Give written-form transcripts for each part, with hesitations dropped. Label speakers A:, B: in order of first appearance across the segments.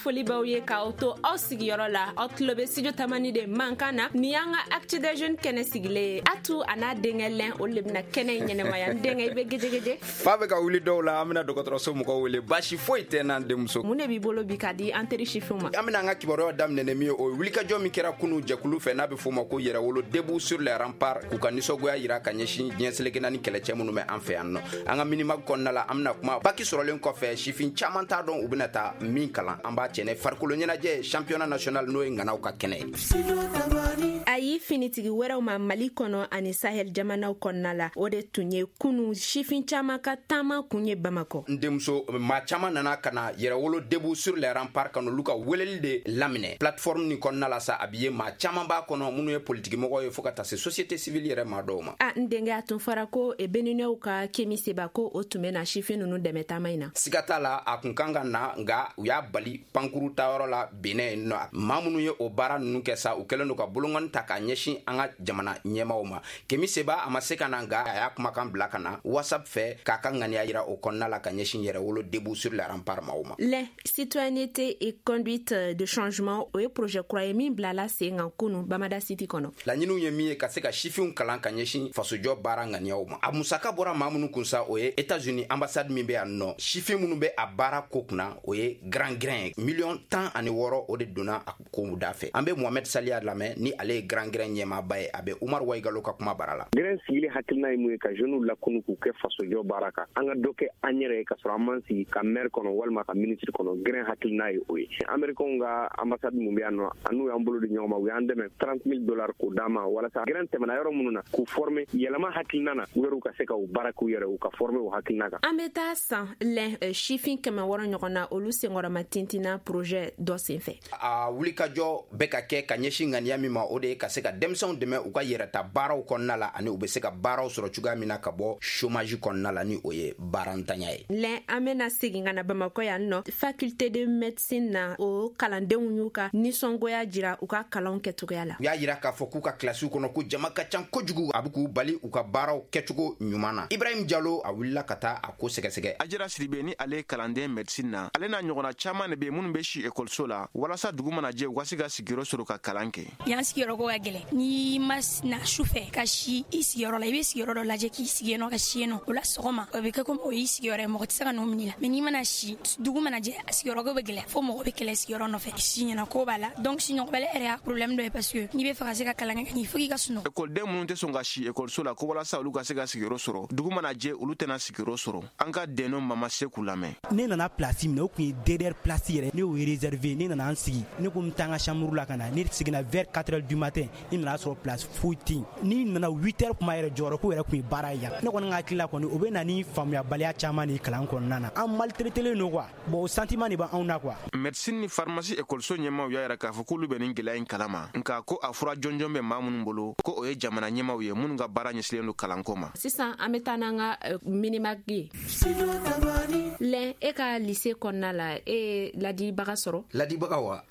A: Foli b'aw ye k'aw to aw sigiyɔrɔ la. Aw tulo bɛ Studio Tamani de mankan na. Nin y'an ka Actu des Jeunes kɛnɛ sigilen ye. Atu a n'a denkɛ Lɛn, olu de bɛna kɛnɛ in ɲɛnɛmaya. N denkɛ, i bɛ gejegeje.
B: Fa bɛ ka wuli dɔw la, an bɛna dɔgɔtɔrɔso mɔgɔw wele, baasi foyi tɛ n'an denmuso.
A: Mun de b'i bolo bi k'a di an teri sifinw ma?
B: An bɛna an ka kibaruyaw daminɛ ni min ye, o ye wulikajɔ min kɛra kunu jɛkulu fɛ n'a bɛ f'o ma ko Yɛrɛwolo Debout sur les Remparts, k'u ka nisɔngoya yira ka ɲɛsin diɲɛ seleke naani kɛlɛcɛ minnu bɛ an fɛ yan nɔ. An ka Minimag kɔnɔna la, an bɛna kuma baki sɔrɔlen kɔfɛ, sifin caman t'a dɔn u bɛna taa min kalan. An b'a cɛ farikolo ɲɛnajɛ championnat national, n'o ye ŋanaw ka kɛnɛ ye.
A: Ayi, finitigi wɛrɛw ma Mali kɔnɔ ani Sahel jamanaw kɔnɔna la, o de tun ye kunu sifin caman ka taama kun ye Bamakɔ.
B: N denmuso, maa caman nana ka na Yɛrɛwolo Debout sur les Remparts ka n'olu ka weleli de laminɛ. Plateforme nin kɔnɔna la sa, a bi ye maa caman b'a kɔnɔ minnu ye politikimɔgɔw ye, fo ka taa se société civile yɛrɛ maa dɔw ma.
A: A n denkɛ, a tun fɔra ko Beninɛw ka Kemi Seba ko o tun bɛ na sifin ninnu dɛmɛ taama in na.
B: Siga t'a la, a kun kan ka na, nka u y'a bali pankuru tayɔrɔ la Benin yen nɔ. Maa minnu ye o baara ninnu kɛ sa, u kɛlen don ka bolonkɔni ta k'a ɲɛsin an ka jamana ɲɛmaaw ma. Kemi Seba a ma se ka na, nka a y'a kumakan bila ka na WhatsApp fɛ k'a ka ŋaniya yira o kɔnɔna la ka ɲɛsin Yɛrɛwolo Debout sur les Remparts maaw ma.
A: Lɛ, citoyenneté et conduite de changement, o ye projet kura ye min bilala sen kan kunu Bamada City kɔnɔ.
B: Laɲiniw ye min ye, ka se ka sifinw kalan ka ɲɛsin fasojɔ baara ŋaniyaw ma. A musaka bɔra maa minnu kun sa, o ye États-Unis ambassade min bɛ yan nɔ. Sifin minnu bɛ a baara ko kunna, o ye Grand Grain ye. 16 miliyɔn, o de donna a kow da fɛ. An bɛ Mohamed Saliya lamɛn, ni ale ye Grand Grain ɲɛmaaba ye. A bɛ Umar Waigalo ka kuma bara la.
C: Grain sigili hakilina ye mun ye? Ka jeunes lakunu k'u kɛ fasojɔ baara kan, an ka dɔ kɛ an yɛrɛ ye ka sɔrɔ an m'an sigi ka maire kɔnɔ walima ka ministre kɔnɔ. Grain hakilina ye o ye. Américains ka ambassade mun bɛ yan nɔ, an n'u y'an bolo di ɲɔgɔn ma, u y'an dɛmɛ 30 000 dollars k'o d'an ma walasa Grain tɛmɛna yɔrɔ minnu na, k'u former yɛlɛma hakilina na, u yɛrɛ ka se ka u baara k'u yɛrɛ, u ka former o hakilina kan.
A: An bɛ taa san lɛn, sifin 600 ɲɔgɔn na, olu senkɔrɔma tintinna projet dɔ senfɛ.
B: A wulikajɔ bɛ ka kɛ ka ɲɛsin ŋaniya min ma, o de ye ka se ka denmisɛnw dɛmɛ u ka yɛrɛta baaraw kɔnɔna la, ani u bɛ se ka baaraw sɔrɔ cogoya min na ka bɔ chômage kɔnɔna la, ni o ye baarantanya ye.
A: Lɛn, an bɛna segin ka na Bamakɔ yan nɔ, faculté de médecine na, o kalandenw y'u ka nisɔngoya jira u ka kalanw kɛcogoya la.
B: U y'a yira k'a fɔ k'u ka kilasiw kɔnɔ ko jama ka ca kojugu, a bɛ k'u bali u ka baaraw kɛcogo ɲuman na. Ibrahim Jalo, a wulila ka taa a ko sɛgɛsɛgɛ.
D: Ajira Siribe, ni ale ye kalanden médecine na, ale n'a ɲɔgɔnna caaman de be minnu be si ekɔliso la walasa dugu mana jɛ, u ka se ka sigiyɔrɔ sɔrɔ ka kalan kɛ.
E: Yan sigiyɔrɔ ko ka gɛlɛn. N'i ma na su fɛ ka si i sigiyɔrɔ la, i bɛ sigiyɔrɔ dɔ lajɛ k'i sigi yen nɔ, ka si yen nɔ, o la sɔgɔma o bɛ kɛ komi o y'i sigiyɔrɔ ye, mɔgɔ tɛ se ka n'o minɛ la. Mais n'i mana si, dugu mana jɛ, a sigiyɔrɔ ko bɛ gɛlɛya fo mɔgɔ bɛ kɛlɛ sigiyɔrɔ nɔfɛ. Si ɲɛna ko b'a la, donc siɲɔgɔbali yɛrɛ y'a problème dɔ ye, parce que n'i bɛ fɛ ka se ka kalan kɛ, il faut k'i ka sunɔgɔ.
D: Ekɔliden minnu tɛ sɔn ka si ekɔliso la ko walasa olu ka se ka sigiyɔrɔ sɔrɔ, dugu mana jɛ, olu tɛna sigiyɔrɔ sɔrɔ. An ka dɛnɔ Mama Seku lamɛn.
F: Ne nana place minɛ, o tun ye derrière place yɛrɛ, ne y'o réservé. Ne nana an sigi, ne ko n bɛ taa n ka chambre la ka na. Ne seginna vers 4 heures du matin, ne nana sɔrɔ place foyi tɛ yen. N'i nana 8 heures kuma yɛrɛ, jɔyɔrɔ ko yɛrɛ tun ye baara ye yan. Ne kɔni ka hakili la kɔni, o bɛ na ni faamuyabaliya caman de kalan kɔnɔna na. An maltraitelen don quoi. Bon, o sentiment de b'anw na quoi.
D: Médecine ni pharmacie ekɔliso ɲɛmaw y'a yira k'a fɔ k'olu bɛ nin gɛlɛya in kalama, nka ko a fura jɔnjɔn bɛ maa minnu bolo, ko o ye jamana ɲɛmaw ye minnu ka baara ɲɛsilen don kalanko ma.
A: Sisan an bɛ taa n'an ka Minimag ye. Lɛn, e ka lycée kɔnɔna la, e ye ladibaga sɔrɔ?
B: Ladibaga wa?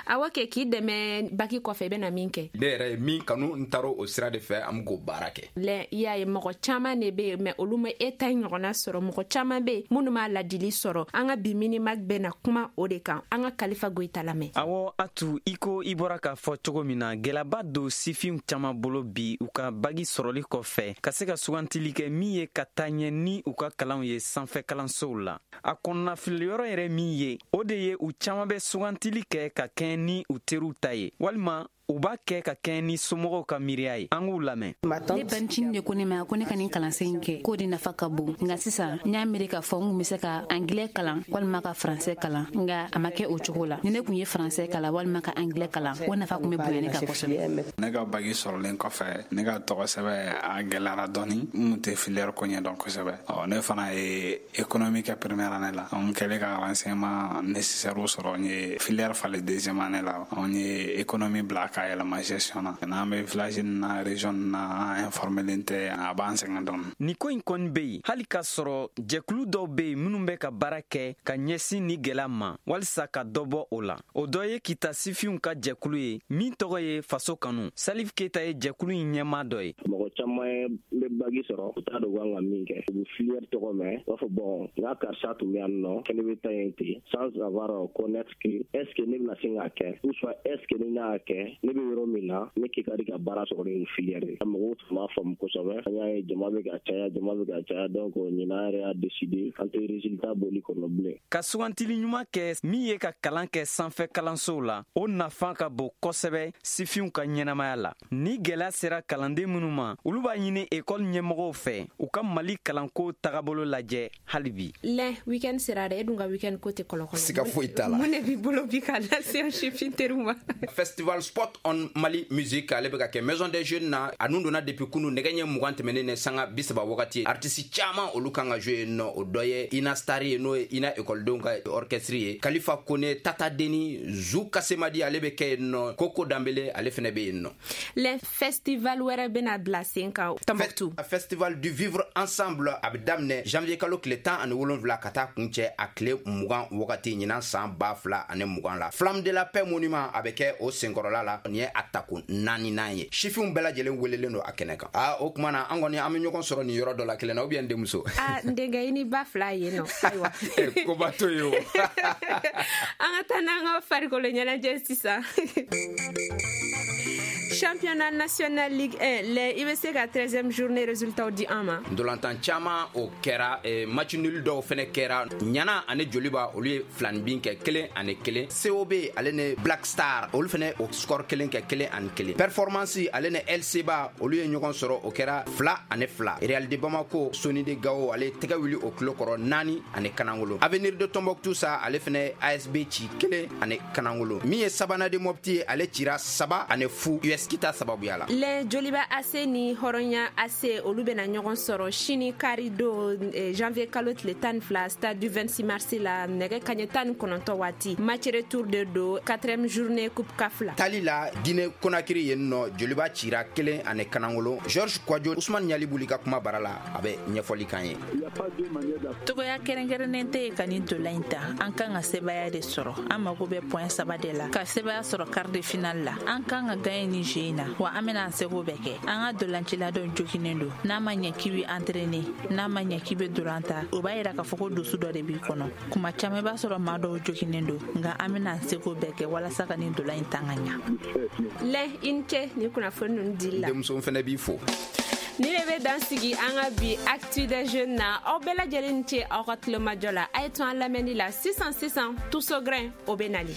A: Awɔ kɛ, k'i dɛmɛ baki kɔfɛ, i bɛna min kɛ.
B: Ne yɛrɛ ye min kanu, n taara o sira de fɛ, an bɛ k'o baara kɛ.
A: Lɛn, i y'a ye, mɔgɔ caman de bɛ yen, mais olu ma e ta ɲɔgɔnna sɔrɔ. Mɔgɔ caman bɛ yen minnu m'a ladili sɔrɔ. An ka bi Minimag bɛna kuma o de kan. An ka Kalifa Goyita lamɛn.
G: Awɔ Atu, i ko i bɔra k'a fɔ cogo min na, gɛlɛyaba don sifinw caman bolo bi, u ka bagi sɔrɔli kɔfɛ, ka se ka sugantili kɛ min ye ka taa ɲɛ ni u ka kalanw ye sanfɛ kalansow la. A kɔnɔnafiliyɔrɔ yɛrɛ min ye, o de ye u caman bɛ sugantili kɛ ka kɛɲɛ ni u teriw ta ye, walima u b'a kɛ ka kɛɲɛ ni somɔgɔw ka miiriya ye. An k'u lamɛn.
H: Ne bancinin de ko ne ma ko ne ka nin kalansen in kɛ, k'o de nafa ka bon. Nka sisan n y'a miiri k'a fɔ n kun be se ka angilɛ kalan walima ka faransɛ kalan, nga a ma kɛ o cogo la. Ni ne kun ye faransɛ kalan walima ka angilɛ kalan, o nafa kun be bonya ne kan kosɛbɛ.
I: Ne ka bagi sɔrɔlen kɔfɛ, ne ka tɔgɔ sɛbɛ a gɛlɛyara dɔɔni. N kun tɛ filière ko ɲɛdɔn kosɛbɛ. Ɔ, ne fana ye économie kɛ première année la. N kɛlen ka renseignement nécessaire sɔrɔ, n ye filière falen deuxième année la, n ye économie bila. k'a yɛlɛma gestion na. N'an bɛ village na, région na, an informelen tɛ, a b'an sɛgɛn dɔɔni.
G: Nin ko in kɔni bɛ yen hali k'a sɔrɔ jɛkulu dɔw bɛ yen minnu bɛ ka baara kɛ ka ɲɛsin ni gɛlɛya ma walisa ka dɔ bɔ o la. O dɔ ye Kita sifinw ka jɛkulu ye min tɔgɔ ye Faso Kanu. Salif Keyita ye jɛkulu in ɲɛmaa dɔ ye.
J: Mɔgɔ caman bɛ bagi sɔrɔ, u t'a dɔn kan ka min kɛ. U bɛ filière tɔgɔ mɛn, u b'a fɔ bon, n ka karisa tun bɛ yan nɔ, fɛnɛ bɛ taa yen ten, sans avoir connaître que est ce que ne bɛna se k'a kɛ, ou soit est ce que ni ne y'a kɛ, ne bɛ yɔrɔ min na, ne kɛ ka di ka baara sɔrɔ ni filière ye. Mɔgɔw tun b'a faamu kosɛbɛ. An y'a ye jama bɛ ka caya, jama bɛ ka caya, donc ɲinan yɛrɛ y'a décidé an tɛ résultat bɔli kɔnɔ bilen.
G: Ka sugantili ɲuman kɛ min ye ka kalan kɛ sanfɛ kalansow la, o nafa ka bon kosɛbɛ sifinw ka ɲɛnamaya la. Ni gɛlɛya sera kalanden minnu ma, olu b'a ɲini ekɔli ɲɛmɔgɔw fɛ u ka Mali kalanko tagabolo lajɛ hali bi.
A: Lɛ, weekend sera dɛ, e dun ka weekend ko tɛ kɔlɔkɔlɔ.
B: Siga foyi t'a la.
A: Mun de b'i bolo bi ka lase an sifin teriw ma?
B: Festival Sport on Mali Music, ale bɛ ka kɛ Maison des Jeunes na. A nun donna depuis kunu nɛgɛ ɲɛ 20 tɛmɛnen ni sanga 30 wagati. Artiste caman olu kan ka jouer yen nɔ. O dɔ ye Ina Star ye, n'o ye Ina ekɔlidenw ka orchestre ye. Kalifa Kone, Tata Deni, Zou Kasemadi ale bɛ kɛ yen nɔ. Koko Danbele ale fɛnɛ bɛ yen nɔ.
A: Le festival wɛrɛ bɛna bila sen kan Tombouctou.
B: Festival du vivre ensemble, a bɛ daminɛ janvier kalo tile 17 ka taa kuncɛ a tile 20 wagati ɲinan san 2020 la. Flamme de la paix monument, a bɛ kɛ o senkɔrɔla la. Nin ye a tako 4nan ye. Sifinw bɛɛ lajɛlen welelen don a kɛnɛ kan. Aa, o tuma na an kɔni an bɛ ɲɔgɔn sɔrɔ nin yɔrɔ dɔ la kelen na, ou bien n denmuso?
A: Aa, n denkɛ, i ni ba fila yen nɔ. Ayiwa,
B: koba to yen o.
A: An ka taa n'an ka farikolo ɲɛnajɛ sisan. Championnat national Ligue 1, lɛ, i bɛ se ka 13e journée résultat di an ma?
B: Ndolantan caman o kɛra, match nul dɔw fɛnɛ kɛra. Ɲana ani Joliba, olu ye filanibin kɛ 1-1. COB ale ni Black Star, olu fɛnɛ o score kelen kɛ 1-1. Performance ale ni LCBA, olu ye ɲɔgɔn sɔrɔ, o kɛra 2-2. Real de Bamako, Soni de Gao ale tɛgɛ wuli o tulo kɔrɔ 4-0. Avenir de Tombouctou sa, ale fɛnɛ ASB ci 1-0. Min ye Sabana de Mopti ye, ale cira 3-0 US Kita sababuya la.
A: Le Joliba AC ni Hɔrɔnya AC, olu bɛna ɲɔgɔn sɔrɔ sini kari don, janvier kalo tile 12, stade du 26 mars la, nɛgɛ kaɲɛ 19 waati. Match retour de don, 4e journée coupe CAF la.
B: Tali la Guinée Conakry yen nɔ, Joliba cira 1-0. Georges Kwadjo, Ousmane Ɲalibuli ka kuma bara la, a bɛ ɲɛfɔli kan ye.
K: Togoya kɛrɛnkɛrɛnnen tɛ yen ka nin dola in ta. An kan ka sebaya de sɔrɔ. An mago bɛ point 3 de la ka sebaya sɔrɔ quart de finale la. An kan ka gagner ni jeu in na, wa an bɛna an seko bɛɛ kɛ. An ka dolancila dɔ joginen don. N'a ma ɲɛ k'i bɛ entraîner, n'a ma ɲɛ k'i bɛ dolan ta, o b'a yira k'a fɔ ko dusu dɔ de b'i kɔnɔ. Kuma caman i b'a sɔrɔ maa dɔw joginen don, nka an bɛna an seko bɛɛ kɛ walasa ka nin dolan in tan ka ɲa.
A: Lɛ, i ni ce ni kunnafoni ninnu dili la.
B: Denmuso fɛnɛ b'i fo.
A: Ni de bɛ dan sigi an ka bi Actu des Jeunes na. Aw bɛɛ lajɛlen ni ce aw ka tulomajɔ la. A ye to an lamɛnni la sisan sisan, Tuso Grain o bɛ nali.